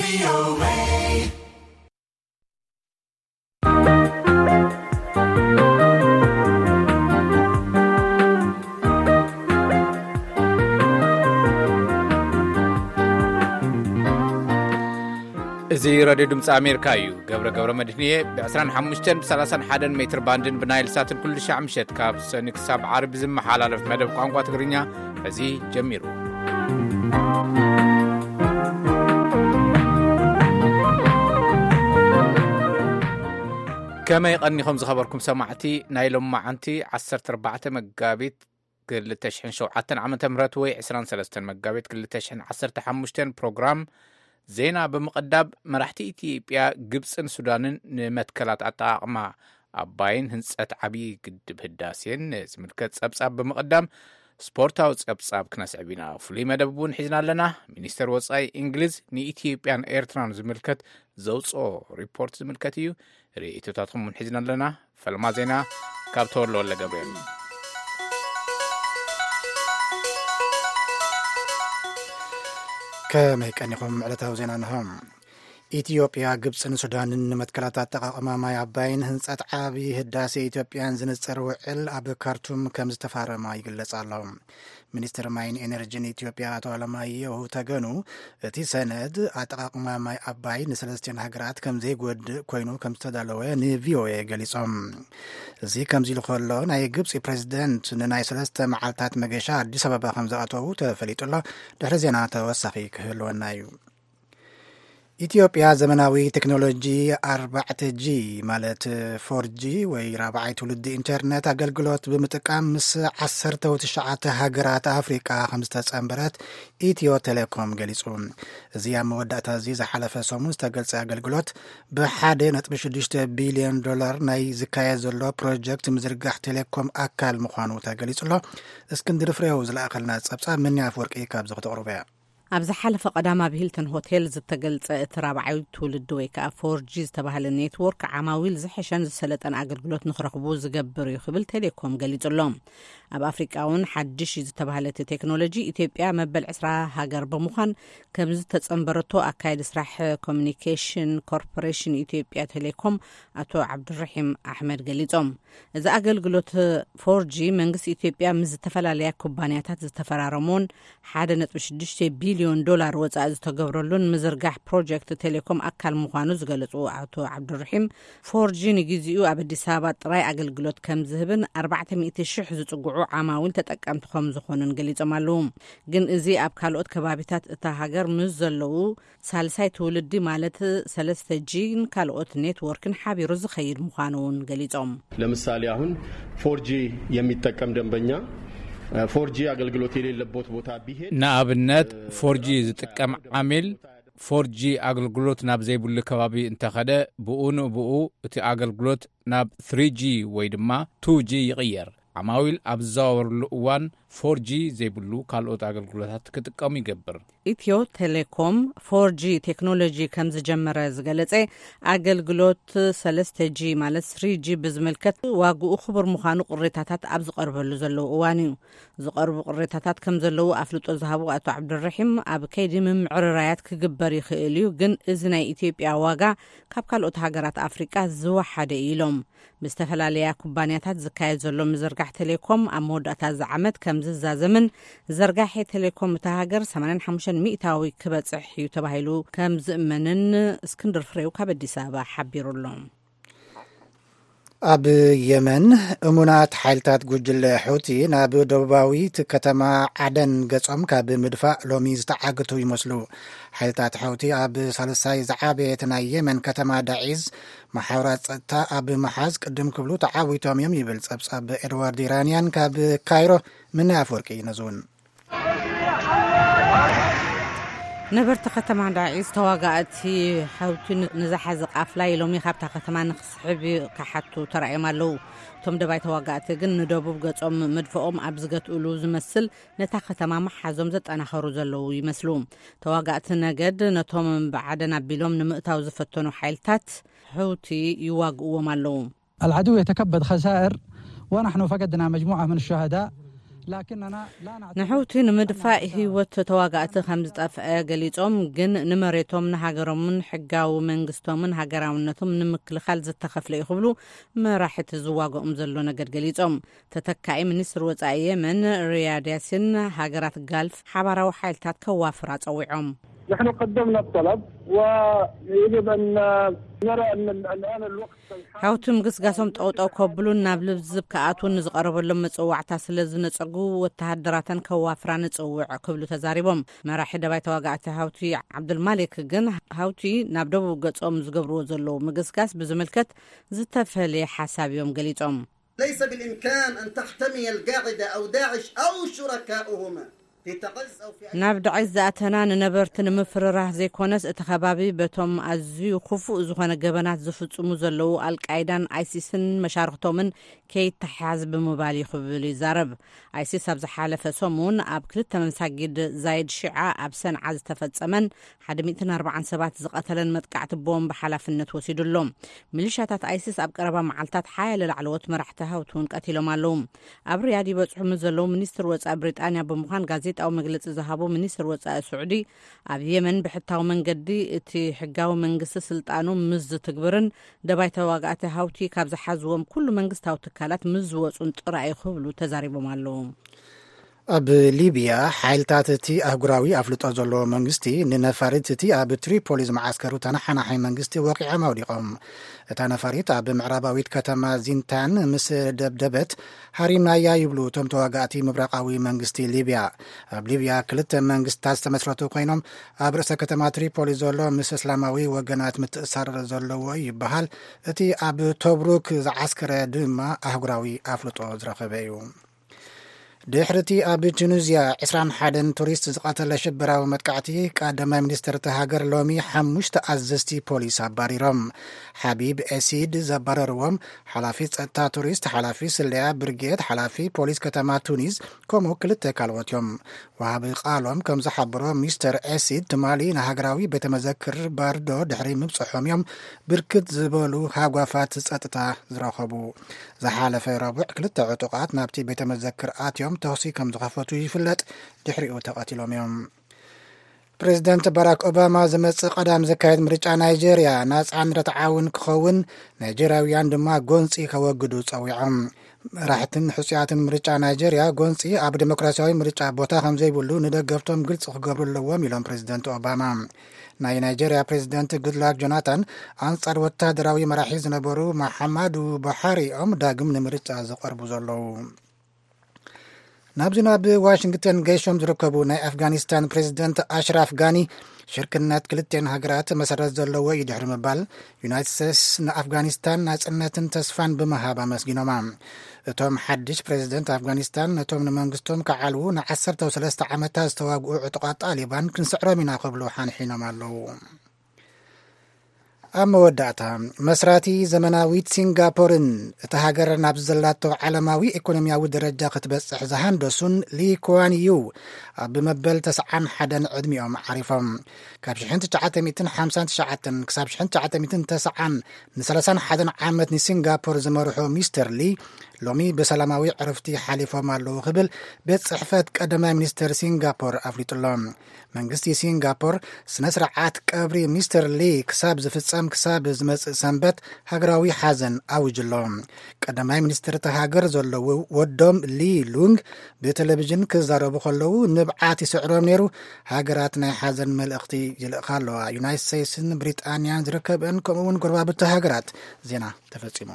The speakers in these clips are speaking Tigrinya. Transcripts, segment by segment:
እዚ ራድዮ ድምፂ ኣሜሪካ እዩ። ገብረ ገብረ መድህንየ ብ25 ብ31 ሜትር ባንድን ብናይል ሳትን ኩሉ ሻዕ ምሸት ካብ ሰኒ ክሳብ ዓርቢ ዝመሓላለፍ መደብ ቋንቋ ትግርኛ እዚ ጀሚሩ። ከመይ ቀኒኹም ዝኸበርኩም ሰማዕቲ? ናይ ሎማዓንቲ 14 መጋቢት 2007 ዓመተ ምህረት ወይ 23 መጋቢት 2015 ፕሮግራም ዜና ብምቕዳብ፣ መራሕቲ ኢትዮጵያ፣ ግብፅን ሱዳንን ንመትከላት ኣጠቓቕማ ኣባይን ህንፀት ዓብዪ ግድብ ህዳሴን ዝምልከት ፀብፃብ ብምቕዳም፣ ስፖርታዊ ፀብፃብ ክነስዕብ ኢና። ፍሉይ መደብ እውን ሒዝና ኣለና። ሚኒስተር ወፃኢ እንግሊዝ ንኢትዮጵያን ኤርትራን ዝምልከት ዘውፅኦ ሪፖርት ዝምልከት እዩ። ርእይቶታትኩም እውን ሒዝና ኣለና። ፈልማ ዜና ካብ ተወልደ ወልደ ገብርኤል። ከመይ ቀኒኹም? ዕለታዊ ዜና እንሆ። ኢትዮጵያ፣ ግብፅን ሱዳንን ንመትከላት ኣጠቓቕማ ማይ ኣባይን ህንፀት ዓብዪ ህዳሴ ኢትዮጵያን ዝንፅር ውዕል ኣብ ካርቱም ከም ዝተፋረማ ይግለጽ ኣሎ። ሚኒስትር ማይን ኤነርጂን ኢትዮጵያ ኣቶ ኣለማየሁ ተገኑ፣ እቲ ሰነድ ኣጠቓቕማ ማይ ኣባይ ንሰለስቲኦን ሃገራት ከም ዘይጎድእ ኮይኑ ከም ዝተዳለወ ንቪኦኤ ገሊጾም። እዚ ከምዚ ኢሉ ከሎ፣ ናይ ግብጺ ፕሬዝደንት ንናይ ሰለስተ መዓልታት መገሻ ኣዲስ ኣበባ ከም ዝኣተዉ ተፈሊጡ ኣሎ። ድሕሪ ዜና ተወሳኺ ክህልወና እዩ። ኢትዮጵያ ዘመናዊ ቴክኖሎጂ ኣርባዕተ ጂ ማለት ፎር ጂ ወይ ራብዓይ ትውልዲ ኢንተርነት ኣገልግሎት ብምጥቃም ምስ ዓሰርተ ትሽዓተ ሃገራት ኣፍሪቃ ከም ዝተጸንበረት ኢትዮ ቴሌኮም ገሊጹ። እዚ ኣብ መወዳእታ እዚ ዝሓለፈ ሰሙን ዝተገልጸ ኣገልግሎት ብሓደ ነጥቢ ሽዱሽተ ቢልዮን ዶላር ናይ ዝካየድ ዘሎ ፕሮጀክት ምዝርጋሕ ቴሌኮም ኣካል ምዃኑ ተገሊጹ ኣሎ። እስክንድር ፍሬው ዝለኣኸልና ጸብጻብ፣ ምንያ ኣፍወርቂ ካብዚ ክተቕርቦ እያ። ኣብ ዝሓለፈ ቀዳም ኣብ ሂልተን ሆቴል ዝተገልጸ እቲ ራብዓይ ትውልዲ ወይ ከኣ ፎር ጂ ዝተባህለ ኔትወርክ ዓማዊል ዝሐሸን ዝሰለጠን ኣገልግሎት ንኽረኽቡ ዝገብር እዩ ክብል ቴሌኮም ገሊጹ ኣሎ። ኣብ ኣፍሪቃ እውን ሓድሽ እዩ ዝተባህለ እቲ ቴክኖሎጂ ኢትዮጵያ መበል ዕስራ ሃገር ብምዃን ከም ዝተጸንበረቶ ኣካየዲ ስራሕ ኮሚኒኬሽን ኮርፖሬሽን ኢትዮጵያ ቴሌኮም ኣቶ ዓብዱራሒም ኣሕመድ ገሊጾም። እዚ ኣገልግሎት ፎር ጂ መንግስቲ ኢትዮጵያ ምስ ዝተፈላለያ ኩባንያታት ዝተፈራረሞን ሓደ ነጥቢ ሽዱሽተ ቢልዮን ዶላር ወጻኢ ዝተገብረሉን ምዝርጋሕ ፕሮጀክት ቴሌኮም ኣካል ምዃኑ ዝገለጹ ኣቶ ዓብዱራሒም፣ ፎር ጂ ንግዜኡ ኣብ ኣዲስ ኣበባ ጥራይ ኣገልግሎት ከም ዝህብን ኣርባዕተ ሚእቲ ሽሕ ዝጽግዑ ዓማዊል ተጠቀምቲ ከም ዝኾኑን ገሊጾም ኣለዉ። ግን እዚ ኣብ ካልኦት ከባቢታት እታ ሃገር ምስ ዘለዉ ሳልሳይ ትውልዲ ማለት ሰለስተ ጂን ካልኦት ኔትወርክን ሓቢሩ ዝኸይድ ምዃኑ እውን ገሊጾም። ለምሳሌ አሁን ፎር ጂ የሚጠቀም ደንበኛ፣ ፎር ጂ አገልግሎት የሌለበት ቦታ ቢሄድ ንኣብነት ፎር ጂ ዝጥቀም ዓሚል ፎር ጂ ኣገልግሎት ናብ ዘይብሉ ከባቢ እንተኸደ፣ ብኡ ንብኡ እቲ ኣገልግሎት ናብ ስሪ ጂ ወይ ድማ ቱ ጂ ይቕየር። ዓማዊል ኣብ ዝዘዋወርሉ እዋን ፎር ጂ ዘይብሉ ካልኦት ኣገልግሎታት ክጥቀሙ ይገብር። ኢትዮ ቴሌኮም ፎር ጂ ቴክኖሎጂ ከም ዝጀመረ ዝገለጸ፣ ኣገልግሎት ሰለስተ ጂ ማለት ስሪ ጂ ብዝምልከት ዋግኡ ክቡር ምዃኑ ቅሬታታት ኣብ ዝቐርበሉ ዘለዉ እዋን እዩ። ዝቐርቡ ቅሬታታት ከም ዘለዉ ኣፍልጦ ዝሃቡ ኣቶ ዓብዱራሒም፣ ኣብ ከይዲ ምምዕርራያት ክግበር ይኽእል እዩ፣ ግን እዚ ናይ ኢትዮጵያ ዋጋ ካብ ካልኦት ሃገራት ኣፍሪቃ ዝወሓደ እዩ ኢሎም። ብዝተፈላለያ ኩባንያታት ዝካየድ ዘሎ ምዝርጋሕ ቴሌኮም ኣብ መወዳእታ እዚ ዓመት ከም ዝዛዘምን፣ ዘርጋሒ ቴሌኮም እታ ሃገር ሰማንያን ሓሙሽተን ሚእታዊ ክበጽሕ እዩ ተባሂሉ ከም ዝእመንን እስክንድር ፍሬው ካብ ኣዲስ ኣበባ ሓቢሩ ኣሎ። ኣብ የመን፣ እሙናት ሓይልታት ጉጅለ ሑቲ ናብ ደቡባዊት ከተማ ዓደን ገጾም ካብ ምድፋእ ሎሚ ዝተዓግቱ ይመስሉ። ሓይልታት ሑቲ ኣብ ሳልሳይ ዝዓበየት ናይ የመን ከተማ ዳዒዝ መሓውራት ጸጥታ ኣብ ምሓዝ ቅድም ክብሉ ተዓዊቶም እዮም ይብል ጸብጻብ ኤድዋርድ ኢራንያን ካብ ካይሮ። ምነ ኣፍወርቂ ነዝውን። ነበርቲ ከተማ ዳዒዝ ተዋጋእቲ ሑቲ ንዝሓዘ ቃፍላ ኢሎም ካብታ ከተማ ንክስሕብ ክሓቱ ተራእዮም ኣለዉ። እቶም ደባይ ተዋጋእቲ ግን ንደቡብ ገጾም መድፍኦም ኣብ ዝገትእሉ ዝመስል ነታ ከተማ ምሓዞም ዘጠናኸሩ ዘለዉ ይመስሉ። ተዋጋእቲ ነገድ ነቶም ብዓደን ኣቢሎም ንምእታው ዝፈተኑ ሓይልታት ሑቲ ይዋግእዎም ኣለዉ። العدو يتكبد خسائر ونحن فقدنا مجموعة من الشهداء ንሕውቲ ንምድፋእ ህይወት ተዋጋእቲ ከም ዝጠፍአ ገሊጾም፣ ግን ንመሬቶም፣ ንሃገሮምን ሕጋዊ መንግስቶምን ሃገራውነቶም ንምክልኻል ዝተኸፍለ እዩ ክብሉ መራሕቲ ዝዋግኦም ዘሎ ነገድ ገሊጾም። ተተካኢ ሚኒስትር ወጻኢ የመን ሪያድ ያሲን፣ ሃገራት ጋልፍ ሓባራዊ ሓይልታት ከዋፍራ ጸዊዖም። نحن قدمنا الطلب ويجب أن نرى أن الآن الوقت ሓውቲ ምግስጋሶም ጠውጠው ከብሉን ናብ ልዝብ ክኣትዉን ንዝቐረበሎም መጽዋዕታ ስለ ዝነጸጉ፣ ወተሃደራተን ከዋፍራ ንጽውዕ ክብሉ ተዛሪቦም። መራሒ ደባይ ተዋጋእቲ ሃውቲ ዓብዱልማሊክ ግን፣ ሃውቲ ናብ ደቡብ ገጾም ዝገብርዎ ዘለዉ ምግስጋስ ብዝምልከት ዝተፈለየ ሓሳብ እዮም ገሊጾም። ليس بالإمكان أن تحتمي القاعدة أو داعش أو شركاؤهما في تعز أو في أي ናብ ዳዒስ ዝኣተና ንነበርቲ ንምፍርራህ ዘይኮነስ፣ እቲ ከባቢ በቶም ኣዝዩ ክፉእ ዝኾነ ገበናት ዝፍጽሙ ዘለዉ ኣልቃይዳን ኣይሲስን መሻርኽቶምን ከይተሓዝ ብምባል እዩ ክብል ይዛረብ። ኣይሲስ ኣብ ዝሓለፈ ሰሙን ኣብ ክልተ መሳጊድ ዛይድ ሺዓ ኣብ ሰንዓ ዝተፈጸመን ሓደ ሚእትን ኣርባዓን ሰባት ዝቐተለን መጥቃዕቲ ቦምብ ሓላፍነት ወሲዱ ኣሎ። ሚሊሻታት ኣይሲስ ኣብ ቀረባ መዓልታት ሓያለ ላዕለዎት መራሕቲ ሃውቲ እውን ቀቲሎም ኣለዉ። ኣብ ሪያድ ይበጽሑ ምስ ዘለዉ ሚኒስትር ወጻኢ ብሪጣንያ ብምዃን ጋዜጣዊ መግለጺ ዝሃቡ ሚኒስትር ወጻኢ ስዑዲ፣ ኣብ የመን ብሕታዊ መንገዲ እቲ ሕጋዊ መንግስቲ ስልጣኑ ምስ ዝትግብርን ደባይ ተዋጋእቲ ሃውቲ ካብ ዝሓዝዎም ኩሉ መንግስታዊ ትካላት ምስ ዝወጹን ጥራይ ክብሉ ተዛሪቦም ኣለዉ። ኣብ ሊብያ ሓይልታት እቲ ኣህጉራዊ ኣፍልጦ ዘለዎ መንግስቲ ንነፋሪት እቲ ኣብ ትሪፖሊ ዝመዓስከሩ ተነሓናሒ መንግስቲ ወቂዖም ኣውዲቖም። እታ ነፋሪት ኣብ ምዕራባዊት ከተማ ዚንታን ምስ ደብደበት ሃሪምናያ ይብሉ እቶም ተዋጋእቲ ምብራቓዊ መንግስቲ ሊብያ። ኣብ ሊብያ ክልተ መንግስታት ዝተመስረቱ ኮይኖም ኣብ ርእሰ ከተማ ትሪፖሊ ዘሎ ምስ እስላማዊ ወገናት ምትእሳር ዘለዎ ይበሃል። እቲ ኣብ ቶብሩክ ዝዓስከረ ድማ ኣህጉራዊ ኣፍልጦ ዝረኸበ እዩ። ድሕሪ እቲ ኣብ ቱኒዝያ ዕስራን ሓደን ቱሪስት ዝቐተለ ሽበራዊ መጥቃዕቲ፣ ቀዳማይ ሚኒስትር እታ ሃገር ሎሚ ሓሙሽተ ኣዘዝቲ ፖሊስ ኣባሪሮም። ሓቢብ ኤሲድ ዘባረርዎም ሓላፊ ጸጥታ ቱሪስት፣ ሓላፊ ስለያ ብርጌድ፣ ሓላፊ ፖሊስ ከተማ ቱኒዝ፣ ከምኡ ክልተ ካልኦት እዮም። ወሃቢ ቃሎም ከም ዝሓበሮ፣ ሚስተር ኤሲድ ትማሊ ንሃገራዊ ቤተ መዘክር ባርዶ ድሕሪ ምብጽሖም እዮም ብርክት ዝበሉ ሃጓፋት ጸጥታ ዝረኸቡ። ዝሓለፈ ረቡዕ ክልተ ዕጡቓት ናብቲ ቤተ መዘክር ኣትዮም ተኹሲ ከም ዝኸፈቱ ይፍለጥ። ድሕሪኡ ተቐቲሎም እዮም። ፕሬዚደንት ባራክ ኦባማ ዝመጽእ ቀዳም ዝካየድ ምርጫ ናይጄርያ ናጻን ርትዓውን ክኸውን ናይጄርያውያን ድማ ጎንጺ ከወግዱ ጸዊዖም። መራሕትን ሕጹያትን ምርጫ ናይጄርያ ጎንጺ ኣብ ዴሞክራሲያዊ ምርጫ ቦታ ከም ዘይብሉ ንደገፍቶም ግልጺ ክገብሩ ኣለዎም ኢሎም ፕሬዚደንት ኦባማ። ናይ ናይጄርያ ፕሬዚደንት ጉድላክ ጆናታን ኣንጻር ወታደራዊ መራሒ ዝነበሩ መሓማዱ ቡሓሪ እዮም ዳግም ንምርጫ ዝቐርቡ ዘለዉ። ናብዚ ናብ ዋሽንግተን ገይሾም ዝርከቡ ናይ ኣፍጋኒስታን ፕሬዚደንት ኣሽራፍ ጋኒ ሽርክነት ክልቴን ሃገራት መሰረት ዘለዎ እዩ ድሕሪ ምባል፣ ዩናይትድ ስቴትስ ንኣፍጋኒስታን ናጽነትን ተስፋን ብምሃብ ኣመስጊኖማ። እቶም ሓድሽ ፕሬዚደንት ኣፍጋኒስታን ነቶም ንመንግስቶም ክዓልዉ ንዓሰርተ ሰለስተ ዓመታት ዝተዋግኡ ዕጡቓት ጣሊባን ክንስዕሮም ኢና ክብሉ ሓንሒኖም ኣለዉ። ኣብ መወዳእታ፣ መስራቲ ዘመናዊት ሲንጋፖርን እታ ሃገር ናብ ዘላቶ ዓለማዊ ኢኮኖሚያዊ ደረጃ ክትበጽሕ ዝሃንደሱን ሊ ኩዋን ዩ ኣብ መበል ተስዓን ሓደን ዕድሚኦም ዓሪፎም። ካብ ሽሕን ትሽዓተ ሚእትን ሓምሳን ትሽዓተን ክሳብ ሽሕን ትሽዓተ ሚእትን ተስዓን ንሰላሳን ሓደን ዓመት ንሲንጋፖር ዝመርሑ ሚስተር ሊ ሎሚ ብሰላማዊ ዕርፍቲ ሓሊፎም ኣለዉ ክብል ቤት ጽሕፈት ቀዳማይ ሚኒስተር ሲንጋፖር ኣፍሊጡ ኣሎ። መንግስቲ ሲንጋፖር ስነ ስርዓት ቀብሪ ሚስተር ሊ ክሳብ ዝፍጸም ክሳብ ዝመጽእ ሰንበት ሃገራዊ ሓዘን ኣዊጁ ኣሎ። ቀዳማይ ሚኒስትር እታ ሃገር ዘለዉ ወዶም ሊ ሉንግ ብቴሌቪዥን ክዛረቡ ከለዉ ንብዓት ይስዕሮም ነይሩ። ሃገራት ናይ ሓዘን መልእኽቲ ይልእኻ ኣለዋ። ዩናይትድ ስቴትስን ብሪጣንያን ዝርከበን ከምኡ እውን ጎረባብቲ ሃገራት። ዜና ተፈጺሙ።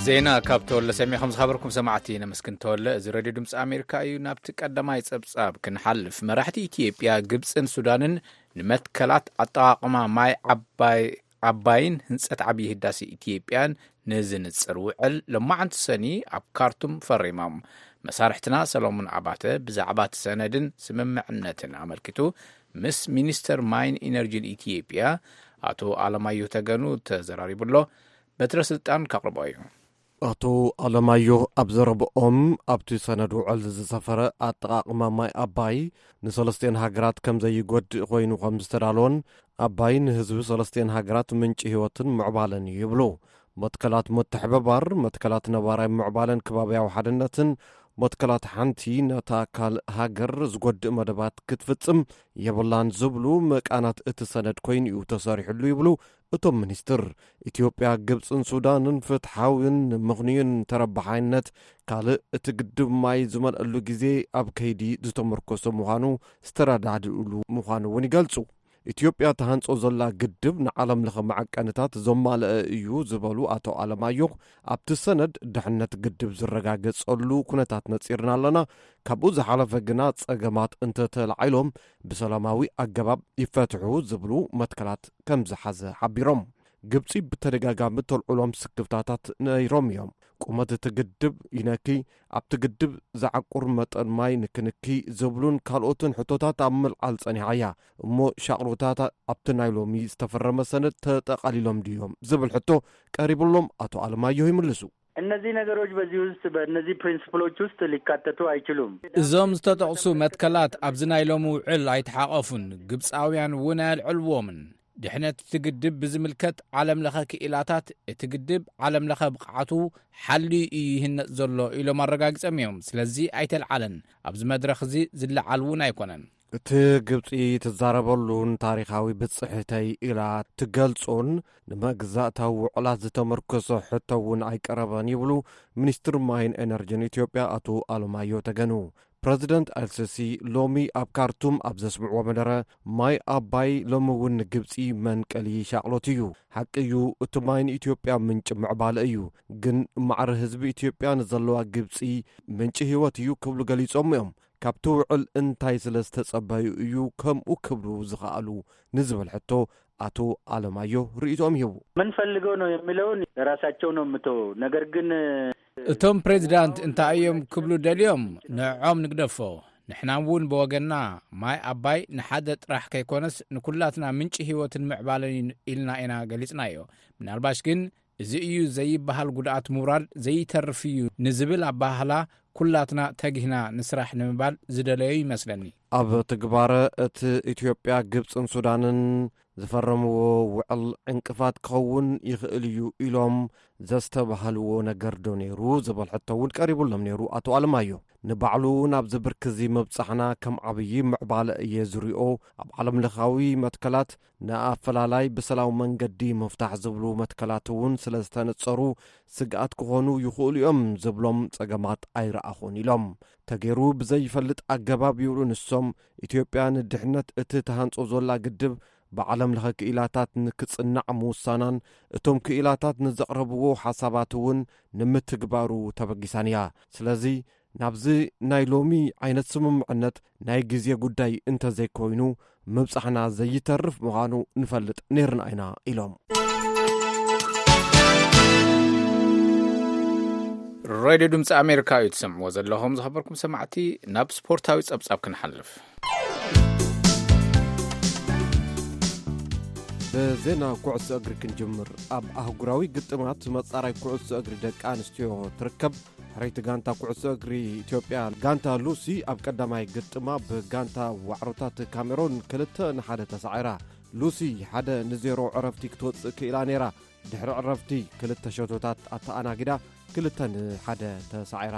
ዜና ካብ ተወለ ሰሚዕኹም ዝኸበርኩም ሰማዕቲ ነመስግን ተወለ። እዚ ሬድዮ ድምፂ ኣሜሪካ እዩ። ናብቲ ቀዳማይ ፀብፃብ ክንሓልፍ፣ መራሕቲ ኢትዮጵያ፣ ግብፅን ሱዳንን ንመትከላት ኣጠቓቕማ ማይ ዓባይ ዓባይን ህንፀት ዓብዪ ህዳሴ ኢትዮጵያን ንዝንፅር ውዕል ሎማዓንቲ ሰኒ ኣብ ካርቱም ፈሪሞም። መሳርሕትና ሰሎሞን ኣባተ ብዛዕባ እቲ ሰነድን ስምምዕነትን ኣመልኪቱ ምስ ሚኒስተር ማይን ኢነርጂን ኢትዮጵያ ኣቶ ኣለማየሁ ተገኑ ተዘራሪቡ ኣሎ። በትረ ስልጣን ከቕርቦ እዩ። ኣቶ ኣለማየሁ ኣብ ዘረብኦም፣ ኣብቲ ሰነድ ውዕል ዝሰፈረ ኣጠቓቕማ ማይ ኣባይ ንሰለስቲኤን ሃገራት ከም ዘይጎድእ ኮይኑ ከም ዝተዳለወን ኣባይ ንህዝቢ ሰለስቲኤን ሃገራት ምንጪ ህይወትን ምዕባለን እዩ ይብሉ። መትከላት ምትሕብባር፣ መትከላት ነባራይ ምዕባለን ከባብያዊ ሓድነትን፣ መትከላት ሓንቲ ነታ ካልእ ሃገር ዝጎድእ መደባት ክትፍጽም የብላን ዝብሉ መቃናት እቲ ሰነድ ኮይኑ እዩ ተሰሪሕሉ ይብሉ እቶም ሚኒስትር። ኢትዮጵያ፣ ግብጽን ሱዳንን ፍትሓዊን ምኽንዩን ተረባሓይነት ካልእ እቲ ግድብ ማይ ዝመልአሉ ግዜ ኣብ ከይዲ ዝተመርኮሰ ምዃኑ ዝተረዳድእሉ ምዃኑ እውን ይገልጹ። ኢትዮጵያ ተሃንጾ ዘላ ግድብ ንዓለም ለኸ መዐቀንታት ዘማልአ እዩ ዝበሉ ኣቶ ኣለማየሁ፣ ኣብቲ ሰነድ ድሕነት ግድብ ዝረጋገጸሉ ኩነታት ነጺርና ኣለና። ካብኡ ዝሓለፈ ግና ጸገማት እንተተላዒሎም ብሰላማዊ ኣገባብ ይፈትሑ ዝብሉ መትከላት ከም ዝሓዘ ሓቢሮም። ግብጺ ብተደጋጋሚ ተልዕሎም ስክፍታታት ነይሮም እዮም። ቁመት እቲ ግድብ ይነኪ፣ ኣብቲ ግድብ ዝዓቁር መጠን ማይ ንክንኪ ዝብሉን ካልኦትን ሕቶታት ኣብ ምልዓል ጸኒሓ እያ። እሞ ሻቕሎታት ኣብቲ ናይ ሎሚ ዝተፈረመ ሰነድ ተጠቓሊሎም ድዮም ዝብል ሕቶ ቀሪብሎም ኣቶ ኣለማየሁ ይምልሱ። እነዚህ ነገሮች በዚህ ውስጥ፣ በእነዚህ ፕሪንስፕሎች ውስጥ ሊካተቱ አይችሉም። እዞም ዝተጠቕሱ መትከላት ኣብዚ ናይ ሎሚ ውዕል ኣይተሓቐፉን፣ ግብፃውያን እውን ኣየልዕልዎምን። ድሕነት እቲ ግድብ ብዝምልከት ዓለም ለኸ ክኢላታት፣ እቲ ግድብ ዓለም ለኸ ብቕዓቱ ሓልዩ እዩ ይህነፅ ዘሎ ኢሎም ኣረጋጊጾም እዮም። ስለዚ ኣይተልዓለን፣ ኣብዚ መድረኽ እዚ ዝለዓል እውን ኣይኮነን። እቲ ግብፂ ትዛረበሉን ታሪኻዊ ብፅሕተይ ኢላ ትገልጾን ንመግዛእታዊ ውዕላት ዝተመርኮሰ ሕቶ እውን ኣይቀረበን ይብሉ ሚኒስትር ማይን ኤነርጂን ኢትዮጵያ ኣቶ ኣለማዮ ተገኑ። ፕረዚደንት ኣልሲሲ ሎሚ ኣብ ካርቱም ኣብ ዘስምዕዎ መደረ፣ ማይ ኣባይ ሎሚ እውን ንግብፂ መንቀሊ ሻቕሎት እዩ። ሓቂ እዩ፣ እቲ ማይ ንኢትዮጵያ ምንጪ ምዕባለ እዩ፣ ግን ማዕረ ህዝቢ ኢትዮጵያ ንዘለዋ ግብፂ ምንጪ ህይወት እዩ ክብሉ ገሊጾም እዮም። ካብቲ ውዕል እንታይ ስለ ዝተጸበዩ እዩ ከምኡ ክብሉ ዝኸኣሉ ንዝብል ሕቶ ኣቶ ኣለማዮ ርእይቶኦም ይህቡ። ምን ፈልገው ነው የሚለውን ለራሳቸው ነው የምተወው። ነገር ግን እቶም ፕሬዚዳንት እንታይ እዮም ክብሉ ደልዮም ንዕኦም ንግደፎ። ንሕና እውን ብወገንና ማይ ኣባይ ንሓደ ጥራሕ ከይኮነስ ንኩላትና ምንጪ ህይወትን ምዕባለን እዩ ኢልና ኢና ገሊጽናዮ። ምናልባሽ ግን እዚ እዩ ዘይበሃል ጉድኣት ምውራድ ዘይተርፍ እዩ ንዝብል ኣበሃህላ ኩላትና ተጊህና ንስራሕ ንምባል ዝደለዩ ይመስለኒ። ኣብ ትግባረ እቲ ኢትዮጵያ፣ ግብጽን ሱዳንን ዝፈረምዎ ውዕል ዕንቅፋት ክኸውን ይኽእል እዩ ኢሎም ዘስተባህልዎ ነገር ዶ ነይሩ ዝብል ሕቶ እውን ቀሪቡሎም ነይሩ ኣቶ ኣለማዮ። ንባዕሉ እውን ኣብዚ ብርኪ እዚ ምብጻሕና ከም ዓብዪ ምዕባለ እየ ዝሪኦ። ኣብ ዓለም ለኻዊ መትከላት ንኣፈላላይ ብሰላም መንገዲ ምፍታሕ ዝብሉ መትከላት እውን ስለ ዝተነጸሩ ስግኣት ክኾኑ ይኽእሉ እዮም ዝብሎም ጸገማት ኣይረኣኹን ኢሎም። ተገይሩ ብዘይፈልጥ ኣገባብ ይብሉ ንሶም፣ ኢትዮጵያ ንድሕነት እቲ ተሃንጾ ዘላ ግድብ ብዓለም ለኸ ክኢላታት ንክጽናዕ ምውሳናን እቶም ክኢላታት ንዘቕረብዎ ሓሳባት እውን ንምትግባሩ ተበጊሳን እያ። ስለዚ ናብዚ ናይ ሎሚ ዓይነት ስምምዕነት ናይ ግዜ ጉዳይ እንተዘይኮይኑ ምብጻሕና ዘይተርፍ ምዃኑ ንፈልጥ ነይርና ኢና ኢሎም። ሬድዮ ድምፂ ኣሜሪካ እዩ ትሰምዕዎ ዘለኹም። ዝኸበርኩም ሰማዕቲ፣ ናብ ስፖርታዊ ጸብጻብ ክንሓልፍ። ብዜና ኩዕሶ እግሪ ክንጅምር። ኣብ ኣህጉራዊ ግጥማት መጻራይ ኩዕሶ እግሪ ደቂ ኣንስትዮ ትርከብ ሕረይቲ ጋንታ ኩዕሶ እግሪ ኢትዮጵያ ጋንታ ሉሲ ኣብ ቀዳማይ ግጥማ ብጋንታ ዋዕሮታት ካሜሮን ክልተ ንሓደ ተሳዒራ። ሉሲ ሓደ ንዜሮ ዕረፍቲ ክትወጽእ ክኢላ ነይራ። ድሕሪ ዕረፍቲ ክልተ ሸቶታት ኣተኣናጊዳ ክልተ ንሓደ ተሳዒራ።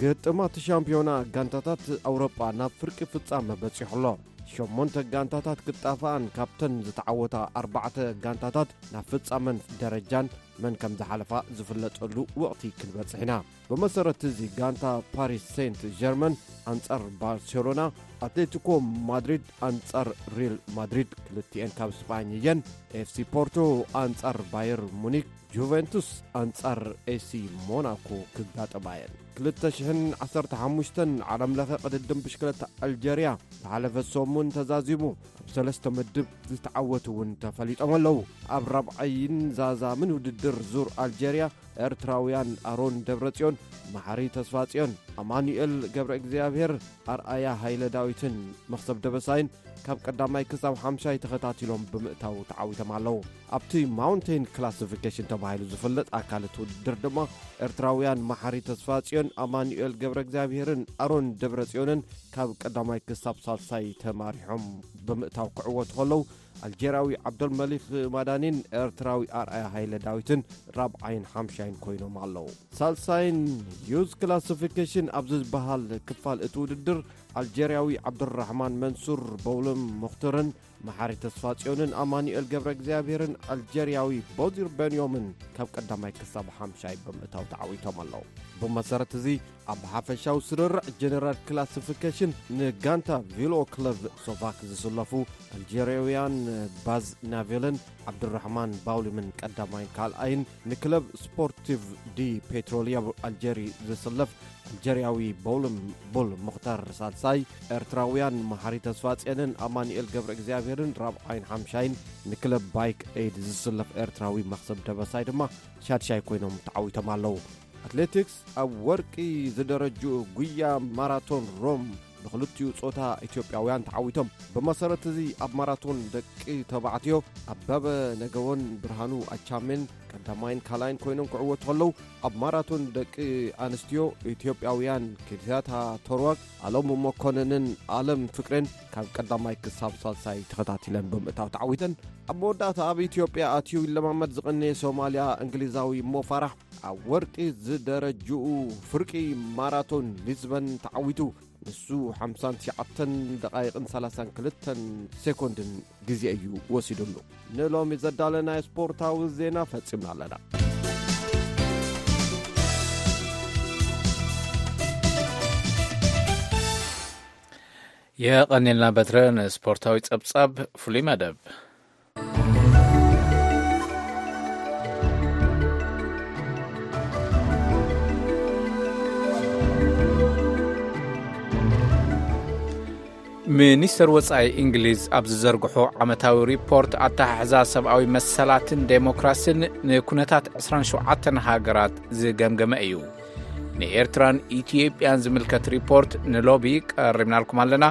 ግጥማት ሻምፒዮና ጋንታታት ኣውሮጳ ናብ ፍርቂ ፍጻመ በጺሑ ኣሎ። ሸሞንተ ጋንታታት ክጣፍኣን ካብተን ዝተዓወታ ኣርባዕተ ጋንታታት ናብ ፍጻመን ደረጃን መን ከም ዝሓለፋ ዝፍለጠሉ ወቕቲ ክንበጽሕ ኢና። ብመሰረት እዚ ጋንታ ፓሪስ ሴንት ጀርመን ኣንጻር ባርሴሎና፣ ኣትሌቲኮ ማድሪድ ኣንጻር ሪል ማድሪድ ክልቲኤን ካብ ስጳኝ እየን፣ ኤፍሲ ፖርቶ ኣንጻር ባየር ሙኒክ፣ ጁቬንቱስ ኣንጻር ኤሲ ሞናኮ ክጋጠማ እየን። ክልተ ሽሕን ዓሰርተ ሓሙሽተን ዓለም ለኸ ቅድድም ብሽክለታ ኣልጀርያ ዝሓለፈ ሰሙን ተዛዚሙ ኣብ ሰለስተ ምድብ ዝተዓወቱ እውን ተፈሊጦም ኣለዉ። ኣብ ራብዓይን ዛዛምን ውድድር ዙር ኣልጀርያ ኤርትራውያን ኣሮን ደብረጽዮን፣ መሓሪ ተስፋጽዮን፣ ኣማኑኤል ገብረ እግዚኣብሔር፣ ኣርኣያ ሃይለ ዳዊትን መኽሰብ ደበሳይን ካብ ቀዳማይ ክሳብ ሓምሻይ ተኸታቲሎም ብምእታው ተዓዊቶም ኣለዉ። ኣብቲ ማውንቴን ክላሲፊኬሽን ተባሂሉ ዝፍለጥ ኣካል እቲ ውድድር ድማ ኤርትራውያን መሓሪ ተስፋጽዮን፣ ኣማኑኤል ገብረ እግዚኣብሔርን ኣሮን ደብረጽዮንን ካብ ቀዳማይ ክሳብ ሳልሳይ ተማሪሖም ብምእታው ክዕወቱ ከለዉ፣ ኣልጀርያዊ ዓብደልመሊክ ማዳኒን ኤርትራዊ ኣርኣያ ሃይለ ዳዊትን ራብዓይን ሓምሻይን ኮይኖም ኣለዉ። ሳልሳይን ዩዝ ክላሲፊኬሽን ኣብ ዝበሃል ክፋል እቲ ውድድር ኣልጀርያዊ ዓብዱራሕማን መንሱር በውልም ሙኽትርን መሓሪ ተስፋጽዮንን ኣማኑኤል ገብረ እግዚኣብሔርን ኣልጀርያዊ ቦዚር በንዮምን ካብ ቀዳማይ ክሳብ ሓምሻይ ብምእታው ተዓዊቶም ኣለዉ። ብመሰረት እዚ ኣብ ሓፈሻዊ ስርርዕ ጀነራል ክላሲፊኬሽን ንጋንታ ቪሎ ክለብ ሶቫክ ዝስለፉ ኣልጀርያውያን ባዝ ናቬልን ዓብዱራሕማን ባውሊምን ቀዳማይን ካልኣይን፣ ንክለብ ስፖርቲቭ ዲ ፔትሮሊያ ኣልጀሪ ዝስለፍ ኣልጀርያዊ ቦልም ቦል ሙኽታር ሳልሳይ፣ ኤርትራውያን መሓሪ ተስፋጽዮንን ኣማኑኤል ገብረ እግዚኣብሔርን ራብዓይን ሓምሻይን፣ ንክለብ ባይክ ኤድ ዝስለፍ ኤርትራዊ መኽሰብ ደበሳይ ድማ ሻድሻይ ኮይኖም ተዓዊቶም ኣለዉ። ኣትሌቲክስ፣ ኣብ ወርቂ ዝደረጅኡ ጉያ ማራቶን ሮም ብክልቲኡ ጾታ ኢትዮጵያውያን ተዓዊቶም። ብመሰረት እዚ ኣብ ማራቶን ደቂ ተባዕትዮ ኣበበ ነገዎን ብርሃኑ ኣቻሜን ቀዳማይን ካልኣይን ኮይኖም ክዕወቱ ከለዉ፣ ኣብ ማራቶን ደቂ ኣንስትዮ ኢትዮጵያውያን ኪርቲያታ ተርዋግ፣ ኣለም መኮንንን ኣለም ፍቅሬን ካብ ቀዳማይ ክሳብ ሳልሳይ ተኸታቲለን ብምእታው ተዓዊተን። ኣብ መወዳእታ ኣብ ኢትዮጵያ ኣትዩ ይለማመድ ዝቐነየ ሶማልያ እንግሊዛዊ ሞ ፋራሕ ኣብ ወርቂ ዝደረጅኡ ፍርቂ ማራቶን ሊዝበን ተዓዊቱ። ንሱ ሓምሳን ትሽዓተን ደቓይቕን ሰላሳን ክልተን ሴኮንድን ግዜ እዩ ወሲዱሉ። ንሎሚ ዘዳለናዮ ስፖርታዊ ዜና ፈጺምና ኣለና። የቐኔልና በትረ ንስፖርታዊ ጸብጻብ ፍሉይ መደብ። ሚኒስተር ወጻኢ እንግሊዝ ኣብ ዝዘርግሖ ዓመታዊ ሪፖርት ኣተሓሕዛ ሰብኣዊ መሰላትን ዴሞክራሲን ንኩነታት ዕስራን ሸውዓተን ሃገራት ዝገምገመ እዩ። ንኤርትራን ኢትዮጵያን ዝምልከት ሪፖርት ንሎቢ ቀሪብናልኩም ኣለና።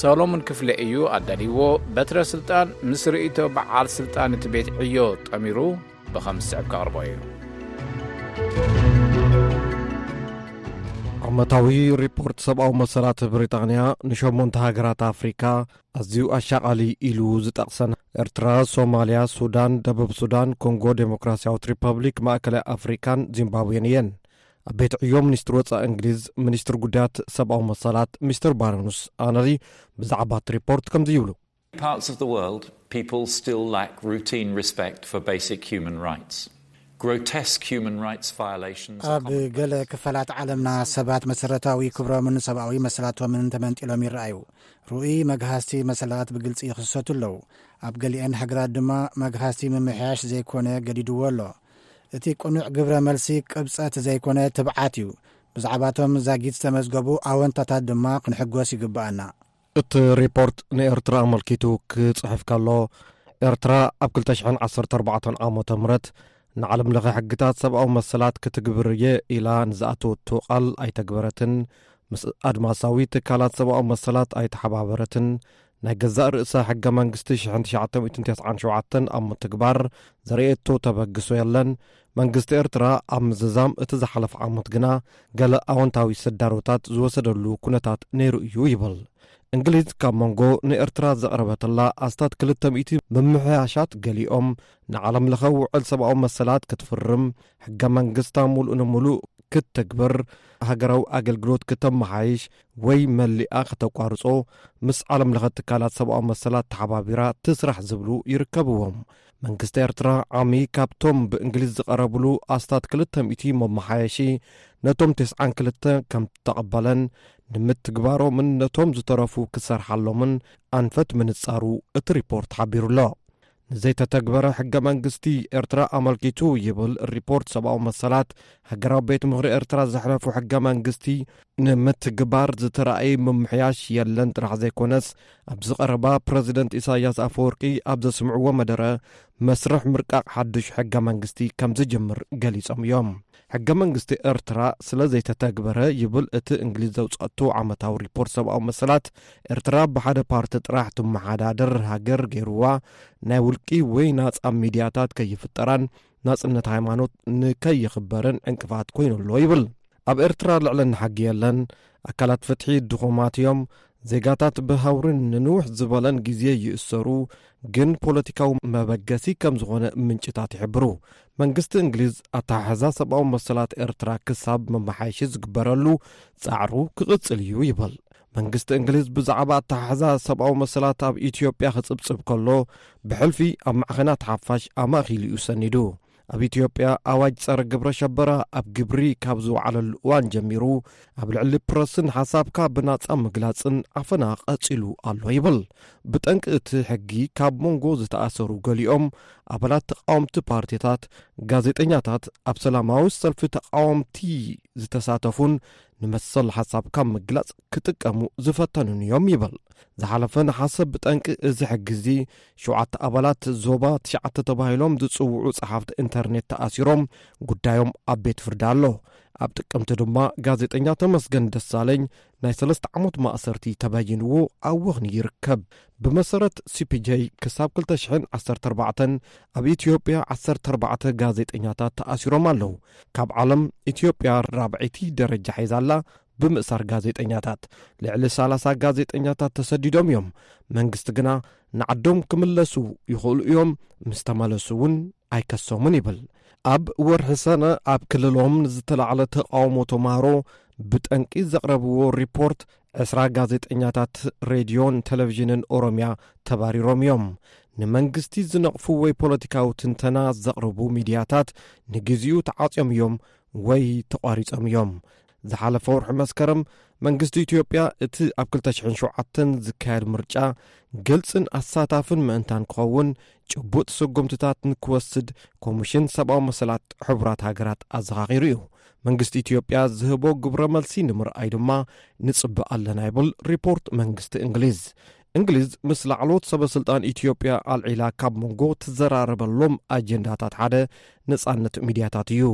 ሰሎሞን ክፍለ እዩ ኣዳልይዎ። በትረ ስልጣን ምስ ርእይቶ በዓል ስልጣን እቲ ቤት ዕዮ ጠሚሩ ብኸም ዝስዕብ ከቕርቦ እዩ። ዓመታዊ ሪፖርት ሰብኣዊ መሰላት ብሪጣንያ ንሸሞንተ ሃገራት ኣፍሪካ ኣዝዩ ኣሻቓሊ ኢሉ ዝጠቕሰን ኤርትራ፣ ሶማልያ፣ ሱዳን፣ ደቡብ ሱዳን፣ ኮንጎ ዴሞክራሲያዊት ሪፐብሊክ፣ ማእከላይ ኣፍሪካን ዚምባብዌን እየን። ኣብ ቤት ዕዮ ሚኒስትሪ ወጻኢ እንግሊዝ፣ ሚኒስትሪ ጉዳያት ሰብኣዊ መሰላት ሚስተር ባሮንስ ኣነሊ ብዛዕባ እቲ ሪፖርት ከምዚ ይብሉ። Parts of the world, people still lack routine respect for basic human rights. Grotesque human rights violations are ኣብ commonplace. ገለ ክፋላት ዓለምና ሰባት መሰረታዊ ክብሮምን ሰብኣዊ መሰላቶምን ተመንጢሎም ይረኣዩ። ርኡይ መግሃስቲ መሰላት ብግልጺ ይኽሰቱ ኣለዉ። ኣብ ገሊአን ሃገራት ድማ መግሃስቲ ምምሕያሽ ዘይኮነ ገዲድዎ ኣሎ። እቲ ቅኑዕ ግብረ መልሲ ቅብጸት ዘይኮነ ትብዓት እዩ። ብዛዕባቶም ዛጊት ዝተመዝገቡ ኣወንታታት ድማ ክንሕጎስ ይግብኣና። እቲ ሪፖርት ንኤርትራ ኣመልኪቱ ክጽሕፍ ከሎ፣ ኤርትራ ኣብ ክልተ ሽሕን ዓሰርተ ኣርባዕተን ዓመተ ምህረት ንዓለም ለኸ ሕግታት ሰብኣዊ መሰላት ክትግብር እየ ኢላ ንዝኣተወቶ ቃል ኣይተግበረትን፣ ምስ ኣድማሳዊ ትካላት ሰብኣዊ መሰላት ኣይተሓባበረትን፣ ናይ ገዛእ ርእሳ ሕገ መንግስቲ ሽሕን ትሽዓተ ሚእትን ተስዓን ሸውዓተን ኣብ ምትግባር ዘርእየቶ ተበግሶ የለን። መንግስቲ ኤርትራ ኣብ ምዝዛም እቲ ዝሓለፈ ዓመት ግና ገለ ኣወንታዊ ስዳሮታት ዝወሰደሉ ኩነታት ነይሩ እዩ ይብል። እንግሊዝ ካብ መንጎ ንኤርትራ ዘቕረበትላ ኣስታት ክልተ ሚእቲ ምምሕያሻት ገሊኦም ንዓለም ለኸ ውዕል ሰብኣዊ መሰላት ክትፍርም፣ ሕገ መንግስታ ሙሉእ ንሙሉእ ክትተግብር፣ ሃገራዊ ኣገልግሎት ክተመሓይሽ ወይ መሊኣ ከተቋርጾ፣ ምስ ዓለም ለኸ ትካላት ሰብኣዊ መሰላት ተሓባቢራ ትስራሕ ዝብሉ ይርከብዎም። መንግስቲ ኤርትራ ዓሚ ካብቶም ብእንግሊዝ ዝቐረብሉ ኣስታት ክልተ ሚእቲ መመሓየሺ ነቶም ተስዓን ክልተ ከም ተቐበለን ንምትግባሮምን ነቶም ዝተረፉ ክሰርሓሎምን ኣንፈት ምንጻሩ እቲ ሪፖርት ሓቢሩ ኣሎ። ንዘይተተግበረ ሕገ መንግስቲ ኤርትራ ኣመልኪቱ ይብል ሪፖርት ሰብኣዊ መሰላት፣ ሃገራዊ ቤት ምኽሪ ኤርትራ ዘሕለፉ ሕገ መንግስቲ ንምትግባር ዝተራእየ ምምሕያሽ የለን ጥራሕ ዘይኮነስ፣ ኣብዚ ቀረባ ፕረዚደንት ኢሳያስ ኣፈወርቂ ኣብ ዘስምዕዎ መደረ፣ መስርሕ ምርቃቕ ሓድሽ ሕገ መንግስቲ ከም ዝጅምር ገሊጾም እዮም። ሕገ መንግስቲ ኤርትራ ስለ ዘይተተግበረ ይብል እቲ እንግሊዝ ዘውጻእቶ ዓመታዊ ሪፖርት ሰብኣዊ መሰላት፣ ኤርትራ ብሓደ ፓርቲ ጥራሕ ትመሓዳደር ሃገር ገይርዋ፣ ናይ ውልቂ ወይ ናጻ ሚድያታት ከይፍጠራን ናጽነት ሃይማኖት ንከይኽበርን ዕንቅፋት ኮይኑ ኣሎ ይብል። ኣብ ኤርትራ ልዕልና ሕጊ የለን፣ ኣካላት ፍትሒ ድኹማት እዮም፣ ዜጋታት ብሃውርን ንንውሕ ዝበለን ግዜ ይእሰሩ፣ ግን ፖለቲካዊ መበገሲ ከም ዝኾነ ምንጭታት ይሕብሩ። መንግስቲ እንግሊዝ ኣተሓሕዛ ሰብኣዊ መሰላት ኤርትራ ክሳብ መመሓየሺ ዝግበረሉ ጻዕሩ ክቕጽል እዩ ይብል። መንግስቲ እንግሊዝ ብዛዕባ ኣተሓሕዛ ሰብኣዊ መሰላት ኣብ ኢትዮጵያ ክጽብጽብ ከሎ፣ ብሕልፊ ኣብ ማዕኸናት ሓፋሽ ኣማእኪሉ እዩ ሰኒዱ። ኣብ ኢትዮጵያ ኣዋጅ ጸረ ግብረ ሸበራ ኣብ ግብሪ ካብ ዝወዓለሉ እዋን ጀሚሩ፣ ኣብ ልዕሊ ፕረስን ሓሳብካ ብናጻ ምግላጽን ኣፈና ቀጺሉ ኣሎ ይብል። ብጠንቂ እቲ ሕጊ ካብ መንጎ ዝተኣሰሩ ገሊኦም ኣባላት ተቃወምቲ ፓርቲታት፣ ጋዜጠኛታት፣ ኣብ ሰላማዊ ሰልፊ ተቃወምቲ ዝተሳተፉን ንመሰል ሓሳብካ ምግላጽ ክጥቀሙ ዝፈተኑን እዮም ይብል። ዝሓለፈ ነሓሰ ብጠንቂ እዚ ሕጊ እዚ ሸውዓተ ኣባላት ዞባ ትሽዓተ ተባሂሎም ዝጽውዑ ጸሓፍቲ ኢንተርኔት ተኣሲሮም፣ ጉዳዮም ኣብ ቤት ፍርዲ ኣሎ። ኣብ ጥቅምቲ ድማ ጋዜጠኛ ተመስገን ደሳለኝ ናይ ሰለስተ ዓመት ማእሰርቲ ተበይንዎ ኣብ ወህኒ ይርከብ። ብመሰረት ሲ ፒ ጄ ክሳብ ክልተ ሽሕን ዓሰርተ ኣርባዕተን ኣብ ኢትዮጵያ ዓሰርተ ኣርባዕተ ጋዜጠኛታት ተኣሲሮም ኣለዉ። ካብ ዓለም ኢትዮጵያ ራብዐይቲ ደረጃ ሒዛ ኣላ። ብምእሳር ጋዜጠኛታት ልዕሊ ሰላሳ ጋዜጠኛታት ተሰዲዶም እዮም። መንግስቲ ግና ንዓዶም ክምለሱ ይኽእሉ እዮም፣ ምስ ተመለሱ እውን ኣይከሶምን ይብል። ኣብ ወርሒ ሰነ ኣብ ክልሎም ንዝተላዕለ ተቃውሞ ተማሃሮ ብጠንቂ ዘቕረብዎ ሪፖርት ዕስራ ጋዜጠኛታት ሬድዮን ቴሌቪዥንን ኦሮምያ ተባሪሮም እዮም። ንመንግስቲ ዝነቕፉ ወይ ፖለቲካዊ ትንተና ዘቕርቡ ሚድያታት ንግዚኡ ተዓጽዮም እዮም ወይ ተቋሪጾም እዮም። ዝሓለፈ ወርሒ መስከረም መንግስቲ ኢትዮጵያ እቲ ኣብ ክልተ ሽሕን ሸውዓተን ዝካየድ ምርጫ ግልጽን ኣሳታፍን ምእንታን ክኸውን ጭቡጥ ስጉምትታት ንክወስድ ኮሚሽን ሰብኣዊ መሰላት ሕቡራት ሃገራት ኣዘኻኺሩ እዩ። መንግስቲ ኢትዮጵያ ዝህቦ ግብረ መልሲ ንምርኣይ ድማ ንጽበ ኣለና ይብል ሪፖርት መንግስቲ እንግሊዝ። እንግሊዝ ምስ ላዕለዎት ሰበ ስልጣን ኢትዮጵያ ኣልዒላ ካብ መንጎ ትዘራረበሎም ኣጀንዳታት ሓደ ነጻነት ሚድያታት እዩ።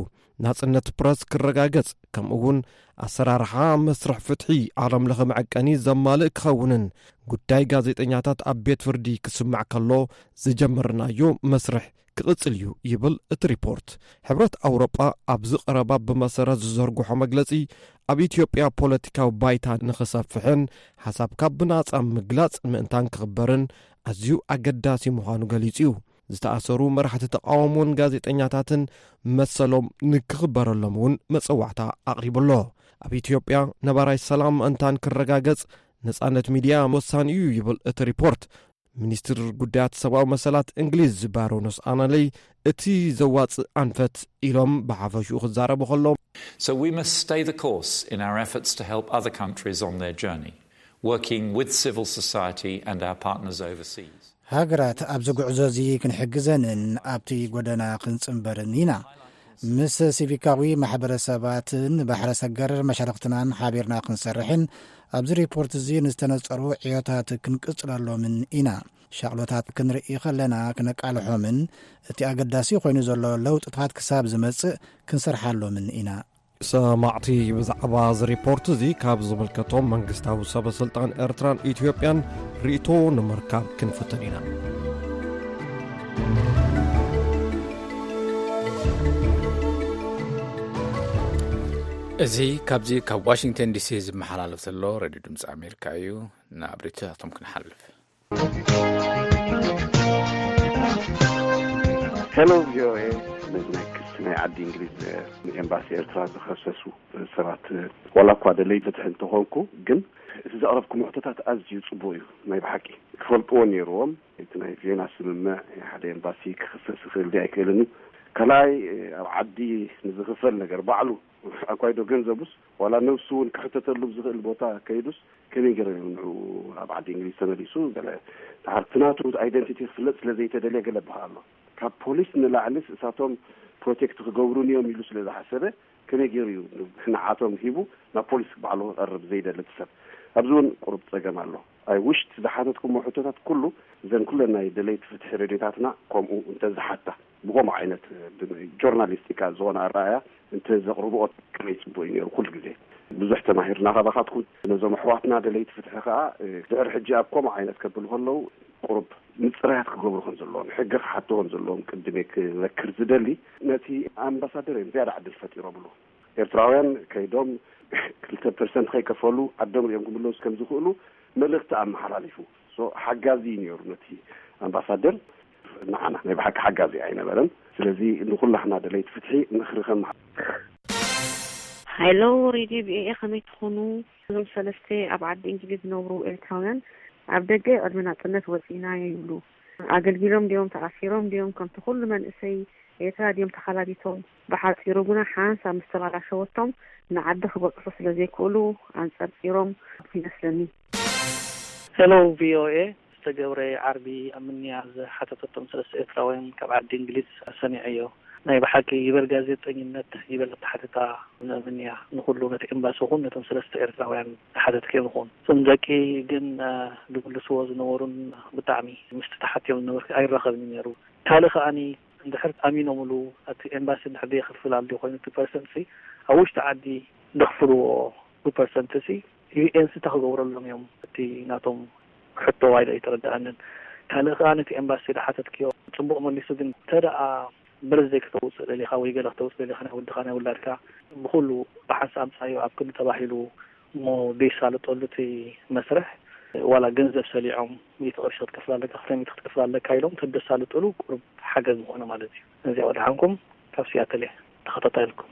ናጽነት ፕረስ ክረጋገጽ፣ ከምኡ እውን ኣሰራርሓ መስርሕ ፍትሒ ዓለም ለኸ መዐቀኒ ዘማልእ ክኸውንን ጉዳይ ጋዜጠኛታት ኣብ ቤት ፍርዲ ክስማዕ ከሎ ዝጀመርናዮ መስርሕ ክቕጽል እዩ ይብል እቲ ሪፖርት። ሕብረት ኣውሮጳ ኣብዚ ቀረባ ብመሰረት ዝዘርግሖ መግለጺ፣ ኣብ ኢትዮጵያ ፖለቲካዊ ባይታ ንኽሰፍሕን ሓሳብካ ብናጻ ምግላጽ ምእንታን ክኽበርን ኣዝዩ ኣገዳሲ ምዃኑ ገሊጹ እዩ። ዝተኣሰሩ መራሕቲ ተቃውሞን ጋዜጠኛታትን መሰሎም ንክኽበረሎም እውን መጸዋዕታ ኣቕሪቡ ኣሎ። ኣብ ኢትዮጵያ ነባራይ ሰላም ምእንታን ክረጋገጽ ነጻነት ሚድያ ወሳኒ እዩ ይብል እቲ ሪፖርት። ሚኒስትር ጉዳያት ሰብኣዊ መሰላት እንግሊዝ ባሮኖስ ኣናለይ እቲ ዘዋጽእ ኣንፈት ኢሎም ብሓፈሽኡ ክዛረቡ ከለዉ፣ So we must stay the course in our efforts to help other countries on their journey, working with civil society and our partners overseas. ሃገራት ኣብዚ ጉዕዞ እዚ ክንሕግዘንን ኣብቲ ጎደና ክንጽንበርን ኢና። ምስ ሲቪካዊ ማሕበረሰባትን ባሕረ ሰገር መሻርኽትናን ሓቢርና ክንሰርሕን ኣብዚ ሪፖርት እዚ ንዝተነጸሩ ዕዮታት ክንቅጽለሎምን ኢና። ሻቕሎታት ክንርኢ ከለና ክነቃልሖምን እቲ ኣገዳሲ ኮይኑ ዘሎ ለውጥታት ክሳብ ዝመጽእ ክንሰርሓሎምን ኢና። ሰማዕቲ ብዛዕባ እዚ ሪፖርት እዚ ካብ ዝምልከቶም መንግስታዊ ሰበ ስልጣን ኤርትራን ኢትዮጵያን ርእቶ ንምርካብ ክንፍትን ኢና። እዚ ካብዚ ካብ ዋሽንግተን ዲሲ ዝመሓላለፍ ዘሎ ሬድዮ ድምፂ ኣሜሪካ እዩ። ናብ ርእቶታቶም ክንሓልፍ። ሄሎ ቪኦኤ። ነዚ ናይ ክሲ ናይ ዓዲ እንግሊዝ ንኤምባሲ ኤርትራ ዝኸሰሱ ሰባት፣ ዋላ እኳ ደለይ ፍትሒ እንተኾንኩ፣ ግን እቲ ዘቕረብኩም ሕቶታት ኣዝዩ ጽቡቕ እዩ። ናይ ብሓቂ ክፈልጥዎ ነይርዎም። እቲ ናይ ቬና ስምምዕ ሓደ ኤምባሲ ክኽሰስ ይኽእል ድዩ ኣይክእልን እዩ። ካልኣይ፣ ኣብ ዓዲ ንዝኽፈል ነገር ባዕሉ ኣኳይዶ ገንዘቡስ ዋላ ነብሱ እውን ክሕተተሉ ብዝኽእል ቦታ ከይዱስ ከመይ ገይሩ እዩ ንዕኡ ኣብ ዓዲ እንግሊዝ ተመሊሱ? ገለ ድሓር እቲ ናቱ ኣይደንቲቲ ክፍለጥ ስለ ዘይተደልየ ገለ በሃ ኣሎ። ካብ ፖሊስ ንላዕሊስ እሳቶም ፕሮቴክት ክገብሩኒ እዮም ኢሉ ስለ ዝሓሰበ ከመይ ገይሩ እዩ ንዓቶም ሂቡ ናብ ፖሊስ ባዕሉ ክቐርብ ዘይደሊ እቲ ሰብ? ኣብዚ እውን ቁሩብ ጸገም ኣሎ። ኣይ ውሽት ዝሓተትኩሞ ሕቶታት ኩሉ እዘን ኩለን ናይ ደለይቲ ፍትሒ ሬድዮታትና ከምኡ እንተዝሓታ ብከምኡ ዓይነት ጆርናሊስቲካ ዝኾነ ኣረኣያ እንተዘቕርብኦ ከመይ ጽቡቕ እዩ ነይሩ። ኩሉ ግዜ ብዙሕ ተማሂርና ካባኻትኩም። ነዞም ኣሕዋትና ደለይቲ ፍትሒ ከኣ ድሕሪ ሕጂ ኣብ ከምኡ ዓይነት ከብሉ ከለዉ ቁሩብ ምጽራያት ክገብሩ ከም ዘለዎም፣ ሕጊ ክሓቱ ከም ዘለዎም ቅድም ክዘክር ዝደሊ። ነቲ ኣምባሳደር እዮም ዝያዳ ዕድል ፈጢሮምሉ። ኤርትራውያን ከይዶም ክልተ ፐርሰንት ከይከፈሉ ዓዶም ሪኦም ክምለሱ ከም ዝኽእሉ መልእኽቲ ኣመሓላሊፉ። ሓጋዚ እዩ ነይሩ ነቲ ኣምባሳደር። ንዓና ናይ ብሓቂ ሓጋዚ ኣይነበረን። ስለዚ ንኩላህና ደለይቲ ፍትሒ ምኽሪ ከም ሃይሎ፣ ሬድዮ ቪኦኤ፣ ከመይ ትኾኑ? እዞም ሰለስተ ኣብ ዓዲ እንግሊዝ ዝነብሩ ኤርትራውያን ኣብ ደገ ቅድሚ ናጽነት ወጺእናዮ ይብሉ። ኣገልጊሎም ድዮም ተኣሲሮም ድዮም ከምቲ ኩሉ መንእሰይ ኤርትራ ድዮም ተኻላቢቶም? ብሓጺሩ ግና ሓንሳብ ምስ ተባላሸወቶም ንዓዲ ክበጽሑ ስለ ዘይክእሉ ኣንጸርጺሮም ይመስለኒ። ሄሎ ቪኦኤ፣ ዝተገብረ ዓርቢ ኣብ ምንያ ዝሓተተቶም ሰለስተ ኤርትራውያን ካብ ዓዲ እንግሊዝ ሰሚዐዮ። ናይ ብሓቂ ይበል ጋዜጠኝነት ይበል ኣተሓትታ ምእምን እያ ንኹሉ ነቲ ኤምባሲ ኹን ነቶም ሰለስተ ኤርትራውያን ተሓተትኪ ንኹን እቶም ደቂ ግን ድምልስዎ ዝነበሩን ብጣዕሚ ምስቲ ተሓትዮም ዝነበርኪ ኣይራኸብን እዩ ነይሩ። ካልእ ከኣኒ እንድሕር ኣሚኖምሉ እቲ ኤምባሲ እንድሕር ደየኽፍል ኣልዲ ኮይኑ እቲ ፐርሰንት ሲ ኣብ ውሽጢ ዓዲ ደኽፍልዎ ብፐርሰንት ሲ ዩኤን ሲ እንታይ ክገብረሎም እዮም እቲ ናቶም ሕቶ ዋይዶ ኣይተረድኣንን። ካልእ ከኣ ነቲ ኤምባሲ ዝሓተትክዮ ጽቡቕ መሊሱ ግን እንተ ደኣ ብርዘይ ክተውጽእ ደሊኻ ወይ ገለ ክተውጽእ ደሊኻ ናይ ወድኻ ናይ ውላድካ ብኹሉ ብሓንሳእ ኣምጻዮ ኣብ ክንዲ ተባሂሉ እሞ ደይሳለጠሉ እቲ መስርሕ ዋላ ገንዘብ ሰሊዖም ሚእቲ ቅርሺ ክትከፍል ኣለካ ክልተ ሚእቲ ክትከፍል ኣለካ ኢሎም ተደሳልጥሉ ቁሩብ ሓገዝ ምኾነ ማለት እዩ። ነዚኣ ወድሓንኩም ካብ ሲያትል እየ ተኸታታይልኩም።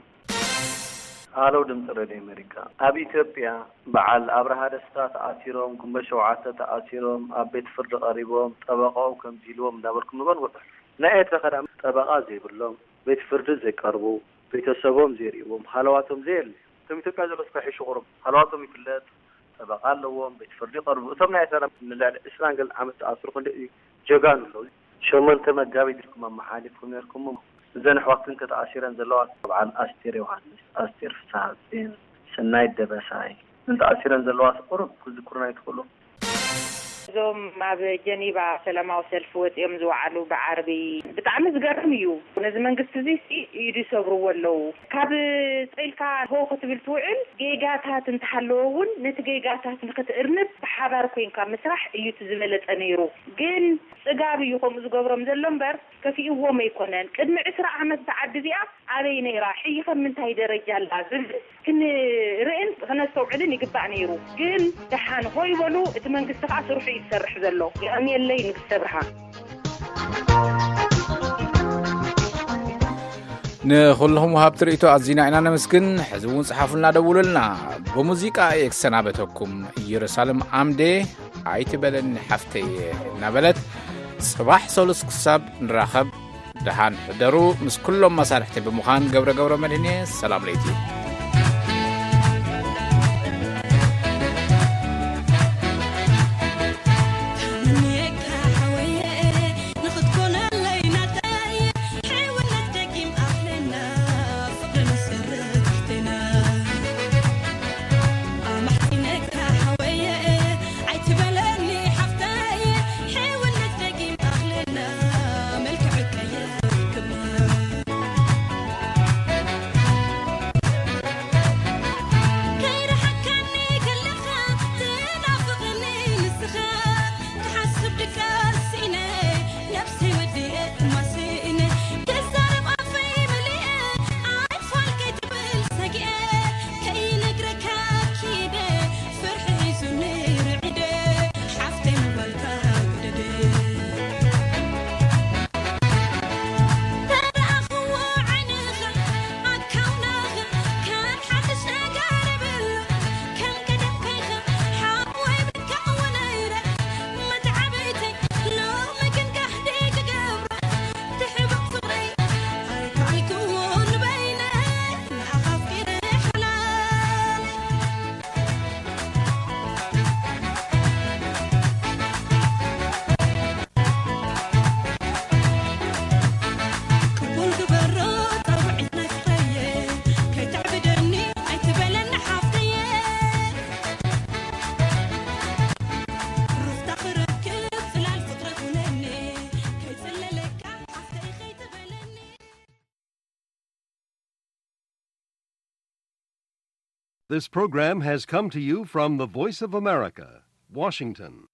ሃሎ ድምፂ ሬድዮ ኣሜሪካ ኣብ ኢትዮጵያ በዓል ኣብርሃ ደስታ ተኣሲሮም ግንቦት ሸውዓተ ተኣሲሮም ኣብ ቤት ፍርዲ ቀሪቦም ጠበቃኦም ከምዚ ኢልዎም እንዳበልኩም ንበል ውዕል ናይ ኤርትራ ከዳ ጠበቃ ዘይብሎም ቤት ፍርዲ ዘይቀርቡ ቤተሰቦም ዘይርእዎም ሃለዋቶም ዘየለ ከም ኢትዮጵያ ዘሎ ስከ ሕሹ ቁሩብ ሃለዋቶም ይፍለጥ ጠበቃ ኣለዎም ቤት ፍርዲ ይቀርቡ እቶም ናይ ኤርትራ ንልዕሊ ዕስራን ገለ ዓመት ተኣስሩ ክንደይ እዩ ጀጋኑ ኣለዉ ሸሞንተ መጋቢት ኢልኩም ኣመሓሊፍኩም ነርኩም እዘን ኣሕዋት ግን ተተኣሲረን ዘለዋ በዓል ኣስቴር ዮሃንስ ኣስቴር ፍስሃጽዮን ሰናይት ደበሳይ እዘን ተኣሲረን ዘለዋ ቁሩብ ክዝክሩና ይትኽእሉ እዞም ኣብ ጀኒቫ ሰላማዊ ሰልፊ ወጺኦም ዝወዓሉ ብዓርቢ ብጣዕሚ ዝገርም እዩ። ነዚ መንግስቲ እዚ ኢዱ ይሰብርዎ ኣለዉ። ካብ ጸይልካ ሆ ክትብል ትውዕል ጌጋታት እንተሃለወ እውን ነቲ ጌጋታት ንክትእርምት ብሓባር ኮይንካ ምስራሕ እዩ እቲ ዝበለጸ ነይሩ። ግን ጽጋብ እዩ ከምኡ ዝገብሮም ዘሎ እምበር ከፊእዎም ኣይኮነን። ቅድሚ ዕስራ ዓመት እዛ ዓዲ እዚኣ ኣበይ ነይራ? ሕጂ ከ ኣብ ምንታይ ደረጃ ኣላ? ዝብል ክንርእን ክነስተውዕልን ይግባእ ነይሩ። ግን ደሓን ሆይ በሉ፣ እቲ መንግስቲ ከኣ ስርሑ እዩ ዝሰርሕ ዘሎ። የቐንየለይ ንግስተ ብርሃን። ንኹልኹም ወሃብቲ ርእይቶ ኣዚና ኢና ነመስግን። ሕዚ እውን ጽሓፉልና፣ ደውሉልና። ብሙዚቃ እየ ክሰናበተኩም። ኢየሩሳሌም ዓምዴ ኣይትበለኒ ሓፍተየ እናበለት፣ ጽባሕ ሰሉስ ክሳብ ንራኸብ ደሓን ሕደሩ። ምስ ኩሎም መሳርሕቲ ብምዃን ገብረ ገብረ መድህን እየ። ሰላም ለይቲ። This program has come to you from the Voice of America, Washington.